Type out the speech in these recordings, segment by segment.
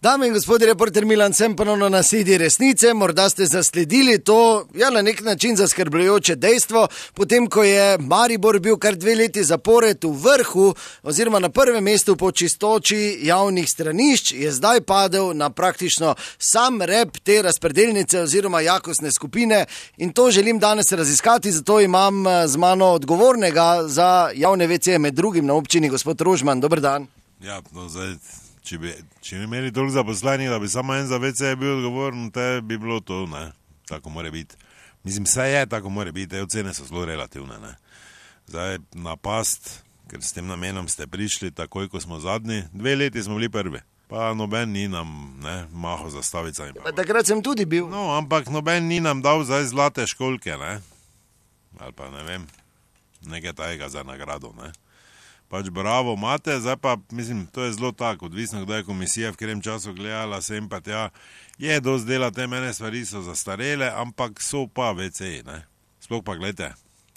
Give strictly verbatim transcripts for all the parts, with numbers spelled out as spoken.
Dame in gospodje, reporter Milan sem ponovno na sedi resnice. Morda ste zasledili to, ja, na nek način zaskrbljujoče dejstvo, potem ko je Maribor bil kar dve leti zapored v vrhu oziroma na prvem mestu po čistoči javnih stranišč, je zdaj padel na praktično sam rep te razpredelnice oziroma jakostne skupine in to želim danes raziskati, zato imam z mano odgovornega za javne ve ce med drugim na občini, gospod Rožman. Dober dan. Ja, no zdaj... Če bi, če bi imeli toliko zaposlenih, da bi samo en za ve ce bil odgovoren, te bi bilo to, ne, tako more biti. Mislim, vse je, tako more biti, te ocene so zelo relativne, ne. Zdaj, napast, ker s tem namenom ste prišli, takoj, ko smo zadnji, dve leti smo bili prvi, pa noben ni nam, ne, maho za stavicami. Pa takrat sem tudi bil. No, ampak noben ni nam dal zdaj zlate školke, ne, ali pa ne vem, nekaj tajega za nagrado, ne. Pač bravo imate, zdaj pa, mislim, to je zelo tako, odvisno, kdaj je komisija v katerem času gledala, sem pa tja, je dosti dela, te mene stvari so zastarele, ampak so pa ve ce, ne. Sploh pa gledajte,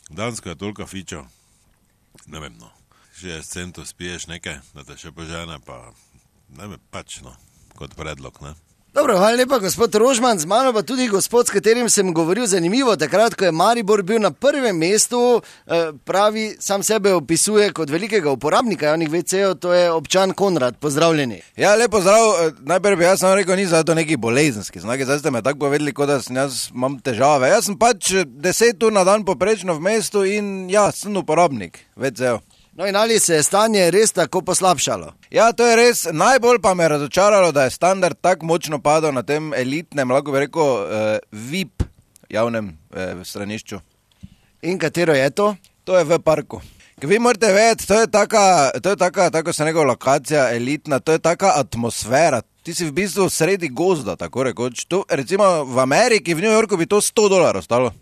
Dansko je toliko fičo, ne vem, no, šestdeset centov spiješ nekaj, da te še požene, pa ne vem, pač, no, kot predlog, ne. Dobro, hvala lepa, gospod Rožman, z mano pa tudi gospod, s katerim sem govoril zanimivo, takrat, ko je Maribor bil na prvem mestu, pravi, sam sebe opisuje kot velikega uporabnika javnih ve cejev, to je občan Konrad, pozdravljeni. Ja, lepo zdrav, najprej bi jaz sam rekel, ni zato neki bolezenski znaki, zdaj ste me tako povedali, kot da sem jaz imam težave, jaz sem pač deset ur na dan poprečno v mestu in ja, sem uporabnik ve cejev. No in ali se je stanje res tako poslabšalo? Ja, to je res, najbolj pa me je razočaralo, da je standard tako močno padal na tem elitnem, lahko bi rekel, eh, ve i pe javnem eh, stranišču. In katero je to? To je v parku. Vi morate vedeti, to je taka, to je taka, tako se nekaj lokacija elitna, to je taka atmosfera. Ti si v bistvu sredi gozda, tako rekoč. Tu, recimo v Ameriki, v New Yorku bi to sto dolarjev stalo.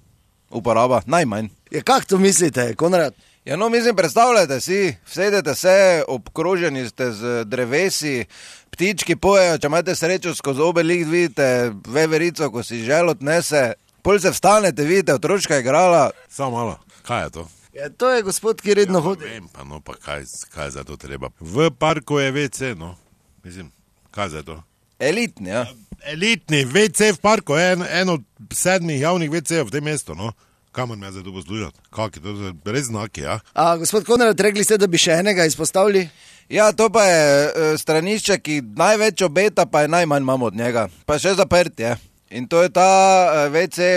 Uporaba, najmanj. Ja, kak to mislite, Konrad? Ja, no, mislim, predstavljajte si, vsedete se, obkroženi ste z drevesi, ptički pojejo, če imate srečo skozi obe lik, vidite veverico, ko si žel odnese, pol se vstanete, vidite, otročka je igrala. Samo malo, kaj je to? Ja, to je gospod, ki redno ja, hodi. Vem, pa no, pa kaj, kaj za to treba? V parku je ve ce, no, mislim, kaj za to? Elitni, ja. Elitni ve ce v parku, en, en od sedmih javnih ve cejev v tem mestu, no. Kamor me zdaj tu poslušati? Kak je to? Res znaki, ja? A, gospod Konrad, rekli ste, da bi še enega izpostavili? Ja, to pa je e, stranišče, ki največ obeta, pa je najmanj imamo od njega. Pa še zaprt je. In to je ta e, ve ce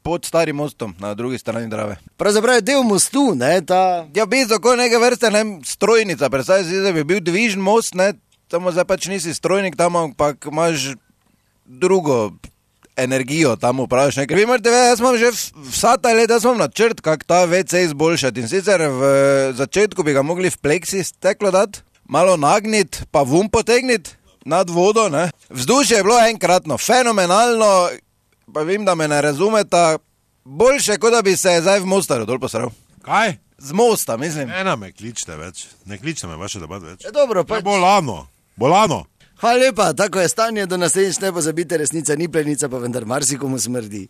pod starim mostom na drugi strani Drave. Pravzaprav je del mostu, ne, ta... Ja, bi tako neke vrste, ne, strojnica, predstavljaj si, da bi bil dvižen most, ne, samo zdaj pač nisi strojnik tam, ampak imaš drugo energijo tam upraviš nekaj. Vi morate vedeti, jaz imam že vsa ta leta, jaz imam načrt, kak ta ve ce izboljšati. In sicer v začetku bi ga mogli v pleksi steklo dati, malo nagniti, pa vum potegniti nad vodo, ne. Vzdušje je bilo enkratno, fenomenalno, pa vem, da me ne razumeta, boljše, kot da bi se zdaj v Mostaru dol posral. Kaj? Z mosta, mislim. Ena me kličte več, ne kličte me vaše debat več. Ja, dobro, pa... Ja, bolano, bolano. Hvala lepa, tako je stanje, do naslednjič ne pozabite, resnica ni plenica, pa vendar marsikomu smrdi.